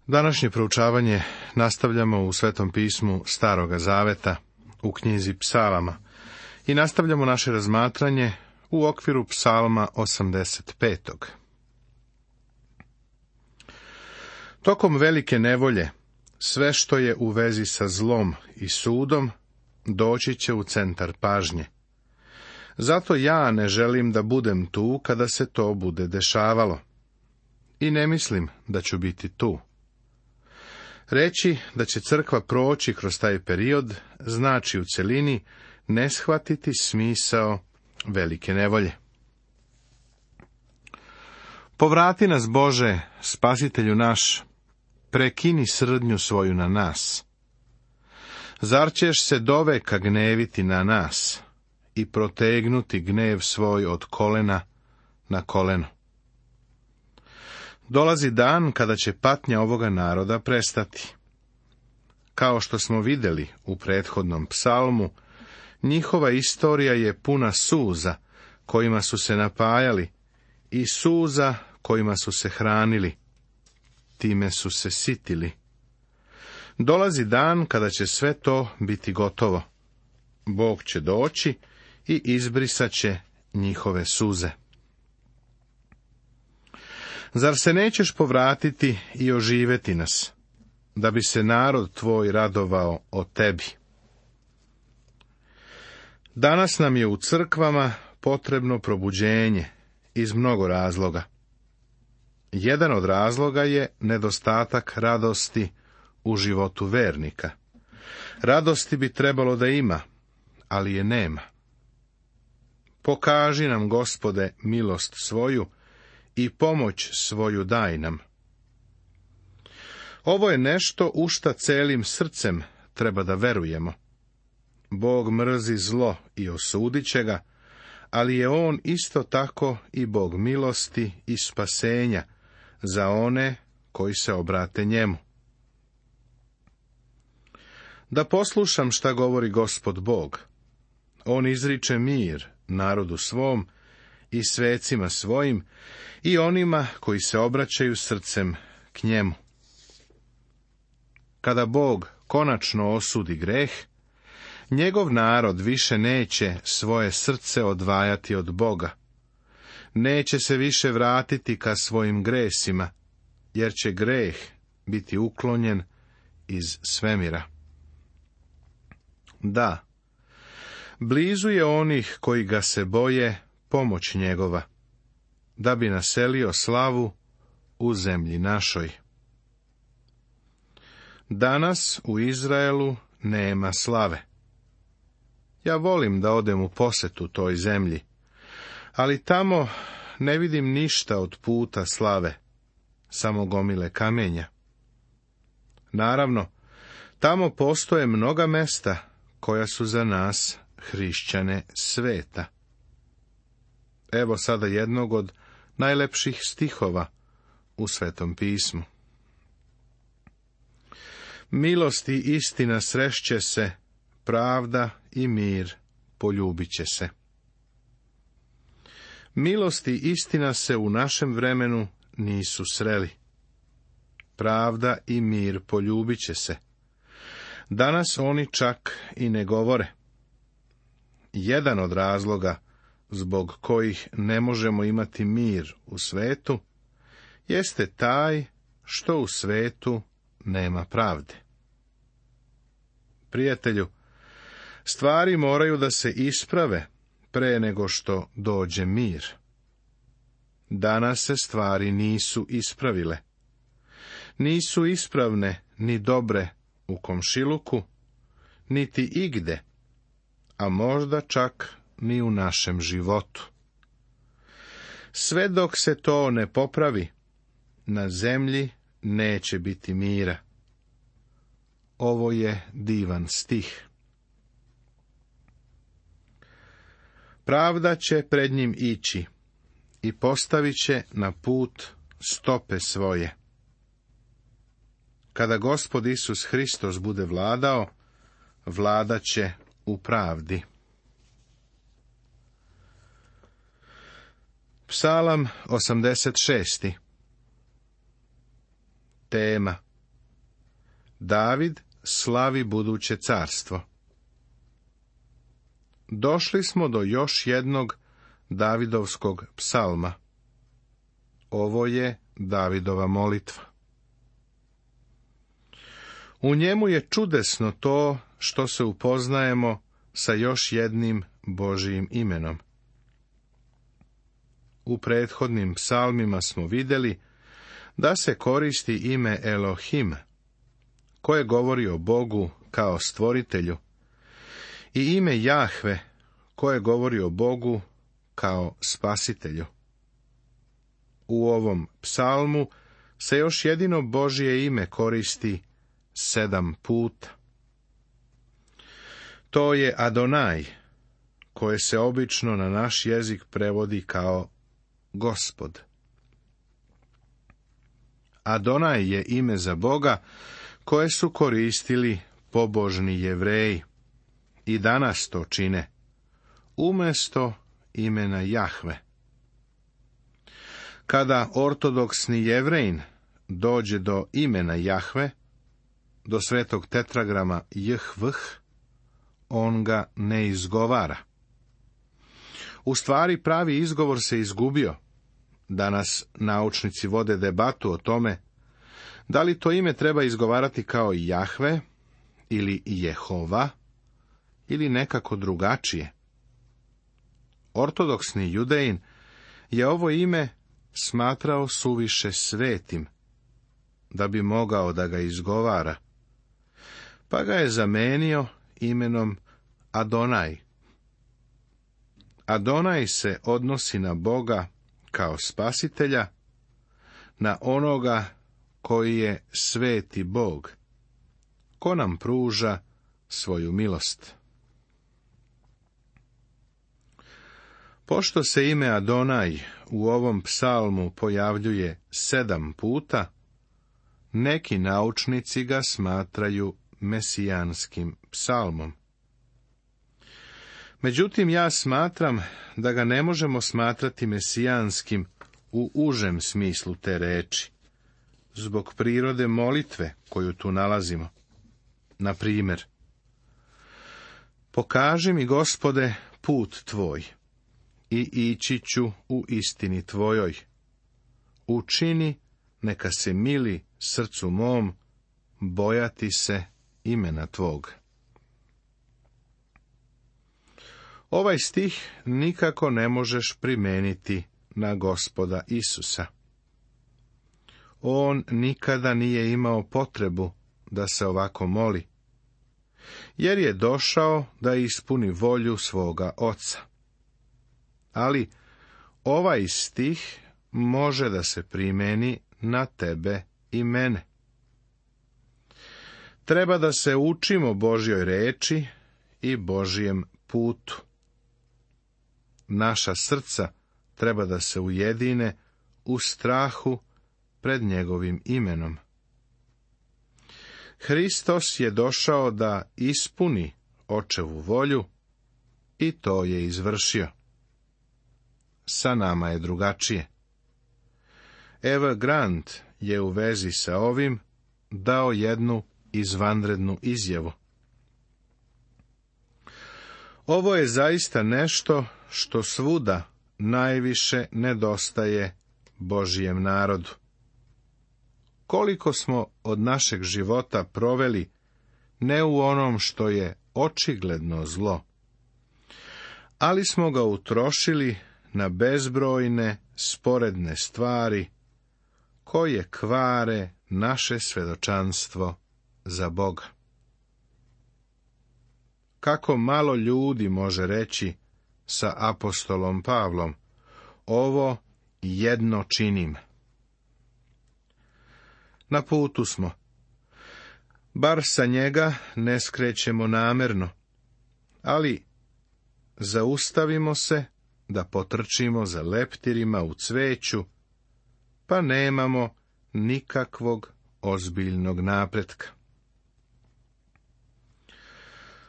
Današnje proučavanje nastavljamo u Svetom pismu Staroga Zaveta, u knjizi Psalama, i nastavljamo naše razmatranje u okviru Psalma 85. Tokom velike nevolje, sve što je u vezi sa zlom i sudom, doći će u centar pažnje. Zato ja ne želim da budem tu kada se to bude dešavalo. I ne mislim da ću biti tu. Reći da će crkva proći kroz taj period znači u celini ne shvatiti smisao velike nevolje. Povrati nas, Bože, Spasitelju naš, prekini srdnju svoju na nas. Zar ćeš se doveka gneviti na nas i protegnuti gnev svoj od kolena na koleno? Dolazi dan kada će patnja ovoga naroda prestati. Kao što smo vidjeli u prethodnom psalmu, njihova istorija je puna suza kojima su se napajali i suza kojima su se hranili. Time su se sitili. Dolazi dan kada će sve to biti gotovo. Bog će doći i izbrisat će njihove suze. Zar se nećeš povratiti i oživeti nas, da bi se narod tvoj radovao o tebi? Danas nam je u crkvama potrebno probuđenje iz mnogo razloga. Jedan od razloga je nedostatak radosti u životu vernika. Radosti bi trebalo da ima, ali je nema. Pokaži nam, Gospode, milost svoju i pomoć svoju daj nam. Ovo je nešto u šta celim srcem treba da verujemo. Bog mrzi zlo i osudit će ga, ali je on isto tako i Bog milosti i spasenja za one koji se obrate njemu. Da poslušam šta govori Gospod Bog. On izriče mir narodu svom i svecima svojim i onima koji se obraćaju srcem k njemu. Kada Bog konačno osudi greh, njegov narod više neće svoje srce odvajati od Boga. Neće se više vratiti ka svojim gresima, jer će greh biti uklonjen iz svemira. Da, blizu je onih koji ga se boje pomoć njegova, da bi naselio slavu u zemlji našoj. Danas u Izraelu nema slave. Ja volim da odem u posetu toj zemlji, ali tamo ne vidim ništa od puta slave, samo gomile kamenja. Naravno, tamo postoje mnoga mesta koja su za nas, hrišćane, sveta. Evo sada jednog od najlepših stihova u Svetom pismu. Milost i istina srešće se, pravda i mir poljubit će se. Milost i istina se u našem vremenu nisu sreli. Pravda i mir poljubit će se. Danas oni čak i ne govore. Jedan od razloga zbog kojih ne možemo imati mir u svetu, jeste taj što u svetu nema pravde. Prijatelju, stvari moraju da se isprave pre nego što dođe mir. Danas se stvari nisu ispravile. Nisu ispravne ni dobre u komšiluku, niti igde, a možda čak ni u našem životu. Sve dok se to ne popravi, na zemlji neće biti mira. Ovo je divan stih. Pravda će pred njim ići i postavit će na put stope svoje. Kada Gospod Isus Hristos bude vladao, vladat će u pravdi. Psalam 86. Tema: David slavi buduće carstvo. Došli smo do još jednog Davidovskog psalma. Ovo je Davidova molitva. U njemu je čudesno to što se upoznajemo sa još jednim Božijim imenom. U prethodnim psalmima smo vidjeli da se koristi ime Elohim, koje govori o Bogu kao stvoritelju, i ime Jahve, koje govori o Bogu kao spasitelju. U ovom psalmu se još jedino Božje ime koristi 7 puta. To je Adonaj, koje se obično na naš jezik prevodi kao Gospod. Adonaj je ime za Boga koje su koristili pobožni Jevreji i danas to čine, umjesto imena Jahve. Kada ortodoksni Jevrejin dođe do imena Jahve, do svetog tetragrama JHVH, on ga ne izgovara. U stvari pravi izgovor se izgubio. Danas naučnici vode debatu o tome da li to ime treba izgovarati kao Jahve ili Jehova ili nekako drugačije. Ortodoksni Judejin je ovo ime smatrao suviše svetim da bi mogao da ga izgovara, pa ga je zamenio imenom Adonaj. Adonaj se odnosi na Boga kao spasitelja, na onoga koji je sveti Bog, ko nam pruža svoju milost. Pošto se ime Adonaj u ovom psalmu pojavljuje 7 puta, neki naučnici ga smatraju mesijanskim psalmom. Međutim, ja smatram da ga ne možemo smatrati mesijanskim u užem smislu te reči, zbog prirode molitve koju tu nalazimo. Na primjer, pokaži mi, Gospode, put tvoj i ići ću u istini tvojoj. Učini, neka se mili srcu mom, bojati se imena tvog. Ovaj stih nikako ne možeš primeniti na Gospoda Isusa. On nikada nije imao potrebu da se ovako moli, jer je došao da ispuni volju svoga Oca. Ali ovaj stih može da se primeni na tebe i mene. Treba da se učimo Božjoj reči i Božjem putu. Naša srca treba da se ujedine u strahu pred njegovim imenom. Hristos je došao da ispuni Očevu volju i to je izvršio. Sa nama je drugačije. Eva Grant je u vezi sa ovim dao jednu izvanrednu izjavu. Ovo je zaista nešto što svuda najviše nedostaje Božjem narodu. Koliko smo od našeg života proveli ne u onom što je očigledno zlo, ali smo ga utrošili na bezbrojne sporedne stvari koje kvare naše svedočanstvo za Boga. Kako malo ljudi može reći sa apostolom Pavlom, ovo jedno činim. Na putu smo. Bar sa njega ne skrećemo namerno, ali zaustavimo se da potrčimo za leptirima u cveću, pa nemamo nikakvog ozbiljnog napretka.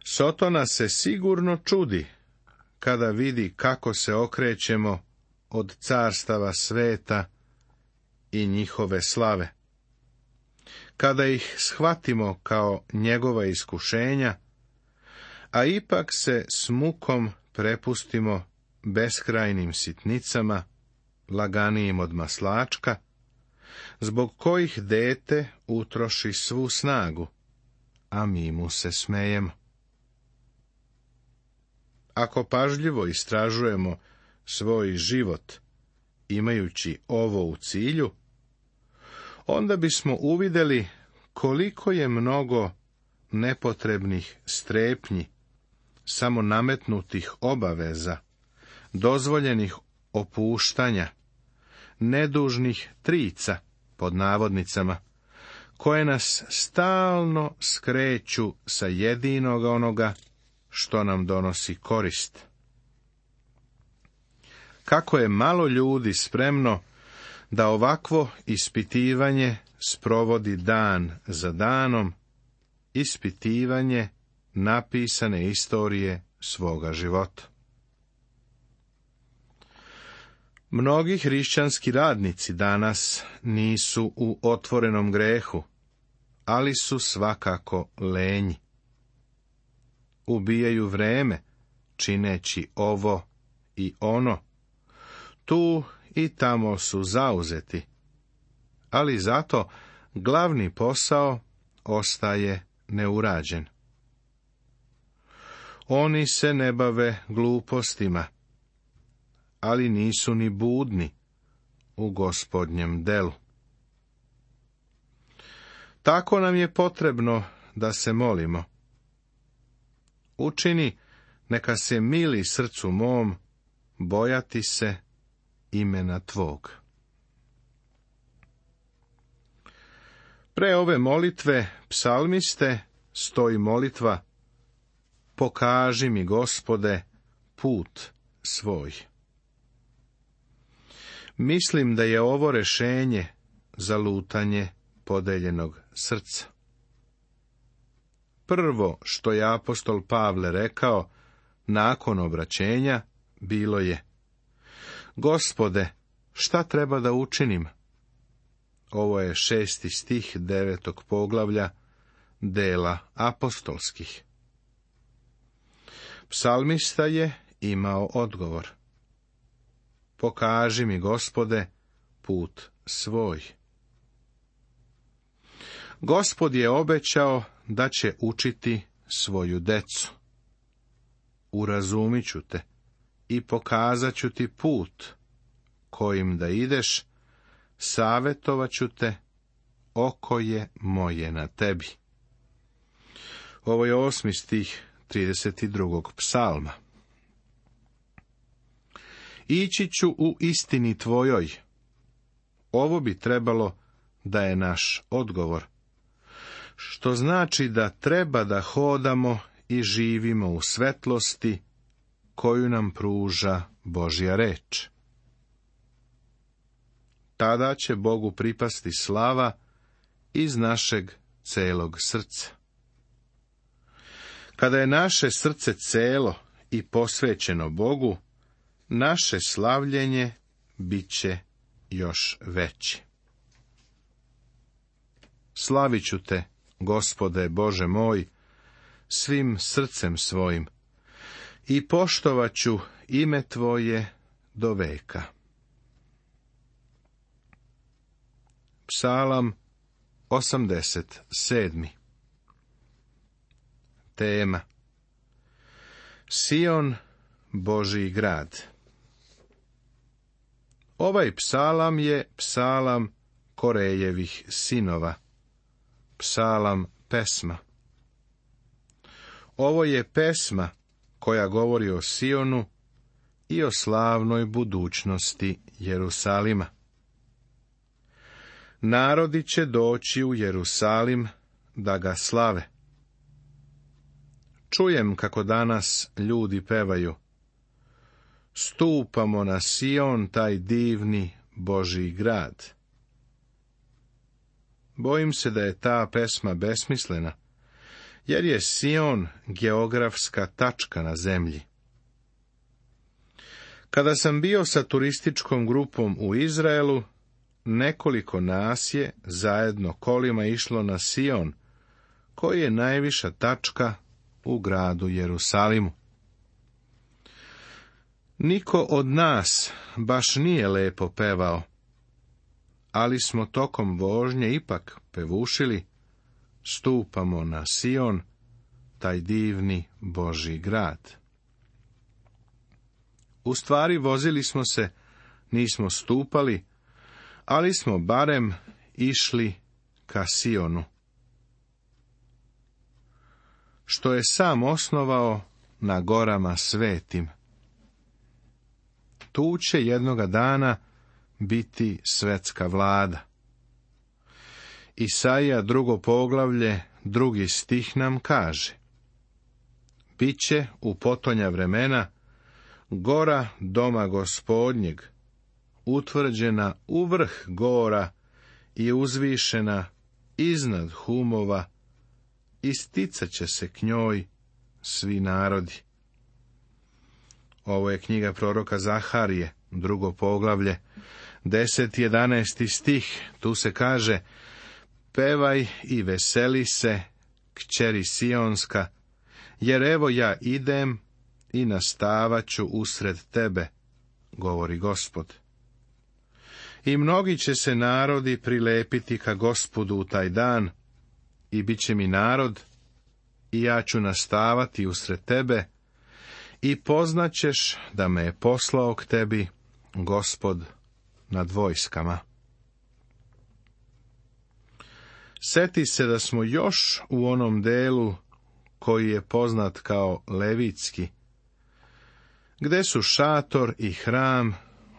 Sotona se sigurno čudi kada vidi kako se okrećemo od carstava sveta i njihove slave. kada ih shvatimo kao njegova iskušenja, a ipak se s mukom prepustimo beskrajnim sitnicama, laganijim od maslačka, zbog kojih dete utroši svu snagu, a mi mu se smejemo. Ako pažljivo istražujemo svoj život, imajući ovo u cilju, onda bismo uvidjeli koliko je mnogo nepotrebnih strepnji, samo nametnutih obaveza, dozvoljenih opuštanja, nedužnih trica, pod navodnicama, koje nas stalno skreću sa jedinog onoga što nam donosi korist. Kako je malo ljudi spremno da ovakvo ispitivanje sprovodi dan za danom, ispitivanje napisane istorije svoga života. Mnogi hrišćanski radnici danas nisu u otvorenom grehu, ali su svakako lenji. Ubijaju vreme, čineći ovo i ono. Tu i tamo su zauzeti, ali zato glavni posao ostaje neurađen. Oni se ne bave glupostima, ali nisu ni budni u Gospodnjem delu. Tako nam je potrebno da se molimo. Učini, neka se mili srcu mom, bojati se imena tvog. Pre ove molitve psalmiste stoji molitva: pokaži mi, Gospode, put svoj. Mislim da je ovo rešenje za lutanje podeljenog srca. Prvo što je apostol Pavle rekao nakon obraćenja bilo je: Gospode, šta treba da učinim? Ovo je 6. stih 9. poglavlja dela apostolskih. Psalmista je imao odgovor: pokaži mi, Gospode, put svoj. Gospod je obećao da će učiti svoju decu. Urazumit ću te i pokazat ću ti put kojim da ideš, savjetovat ću te, oko je moje na tebi. Ovo je 8. stih 32. psalma. Ići ću u istini tvojoj. Ovo bi trebalo da je naš odgovor, što znači da treba da hodamo i živimo u svetlosti koju nam pruža Božja reč. Tada će Bogu pripasti slava iz našeg celog srca. Kada je naše srce celo i posvećeno Bogu, naše slavljenje bit će još veće. Slavit ću te, Gospode Bože moj, svim srcem svojim i poštovat ću ime tvoje do veka. Psalam 87. Tema: Sion, Božji grad. Ovaj psalam je psalam Korejevih sinova, psalam pesma. Ovo je pesma koja govori o Sionu i o slavnoj budućnosti Jerusalima. Narodi će doći u Jerusalim da ga slave. Čujem kako danas ljudi pevaju: stupamo na Sion, taj divni Božji grad. Bojim se da je ta pesma besmislena, jer je Sion geografska tačka na zemlji. Kada sam bio sa turističkom grupom u Izraelu, nekoliko nas je zajedno kolima išlo na Sion, koji je najviša tačka u gradu Jerusalimu. Niko od nas baš nije lepo pevao, ali smo tokom vožnje ipak pevušili: stupamo na Sion, taj divni Božji grad. U stvari vozili smo se, nismo stupali, ali smo barem išli ka Sionu, što je sam osnovao na gorama svetim. Tu će jednoga dana biti svetska vlada. Isaija 2. poglavlje, 2. stih nam kaže: biće u potonja vremena gora doma Gospodnjeg, utvrđena u vrh gora i uzvišena iznad humova, isticat će se k njoj svi narodi. Ovo je knjiga proroka Zaharije, 2. poglavlje, 10. i 11. stih. Tu se kaže: pevaj i veseli se, kćeri Sionska, jer evo ja idem i nastavat ću usred tebe, govori Gospod. I mnogi će se narodi prilepiti ka Gospodu u taj dan, i bit će mi narod, i ja ću nastavati usred tebe, i poznaćeš da me je poslao k tebi Gospod nad vojskama. Seti se da smo još u onom delu koji je poznat kao Levitski, gde su šator i hram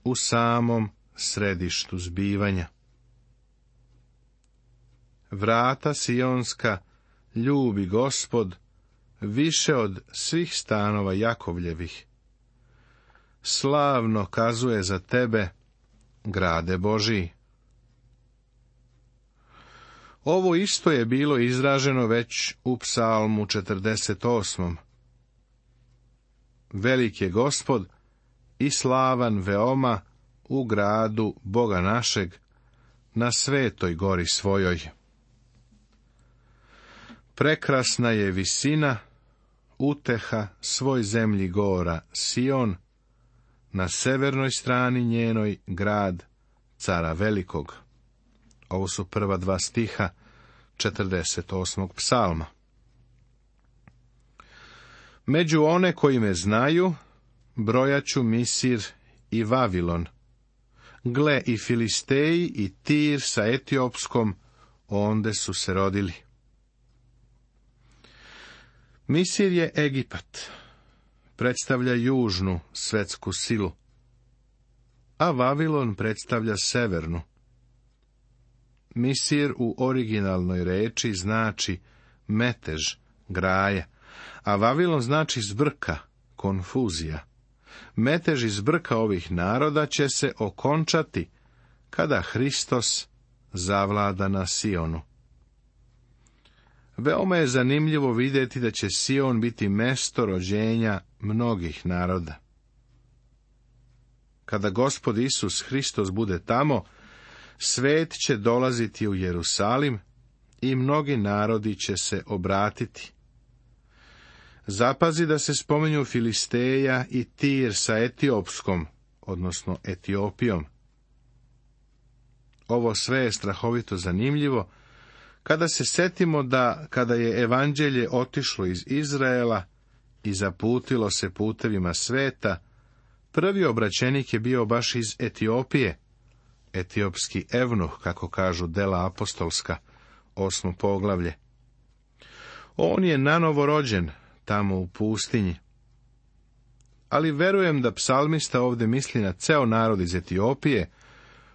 u samom središtu zbivanja. Vrata Sionska ljubi Gospod više od svih stanova Jakovljevih. Slavno kazuje za tebe, grade Božiji. Ovo isto je bilo izraženo već u Psalmu 48. Velik je Gospod i slavan veoma u gradu Boga našeg, na svetoj gori svojoj. Prekrasna je visina, uteha svoj zemlji gora Sion, na severnoj strani njenoj grad cara velikog. Ovo su prva 2 stiha 48. psalma. Među one koji me znaju, brojaću Misir i Vavilon. Gle, i Filisteji i Tir sa Etiopskom, onde su se rodili. Misir je Egipat, predstavlja južnu svetsku silu, a Vavilon predstavlja severnu. Misir u originalnoj reči znači metež, graje, a Vavilon znači zbrka, konfuzija. Metež i zbrka ovih naroda će se okončati kada Hristos zavlada na Sionu. Veoma je zanimljivo vidjeti da će Sion biti mesto rođenja mnogih naroda. Kada Gospod Isus Hristos bude tamo, svet će dolaziti u Jerusalim i mnogi narodi će se obratiti. Zapazi da se spominju Filisteja i Tir sa Etiopskom, odnosno Etiopijom. Ovo sve je strahovito zanimljivo, kada se setimo da, kada je evanđelje otišlo iz Izraela i zaputilo se putevima sveta, prvi obraćenik je bio baš iz Etiopije, etiopski evnuh, kako kažu dela apostolska, 8. poglavlje. On je nanovo rođen tamo u pustinji. Ali verujem da psalmista ovdje misli na ceo narod iz Etiopije,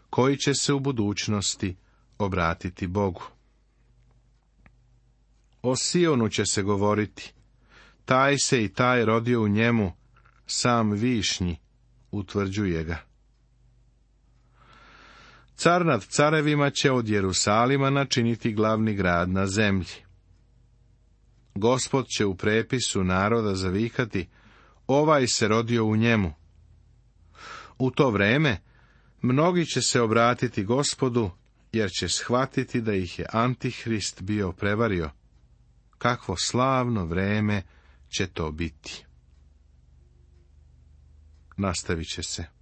koji će se u budućnosti obratiti Bogu. O Sionu će se govoriti: taj se i taj rodio u njemu, sam višnji utvrđuje ga. Car nad carevima će od Jerusalima načiniti glavni grad na zemlji. Gospod će u prepisu naroda zavikati: ovaj se rodio u njemu. U to vreme Mnogi će se obratiti Gospodu, jer će shvatiti da ih je Antihrist bio prevario. Kakvo slavno vreme će to biti. Nastavit će se.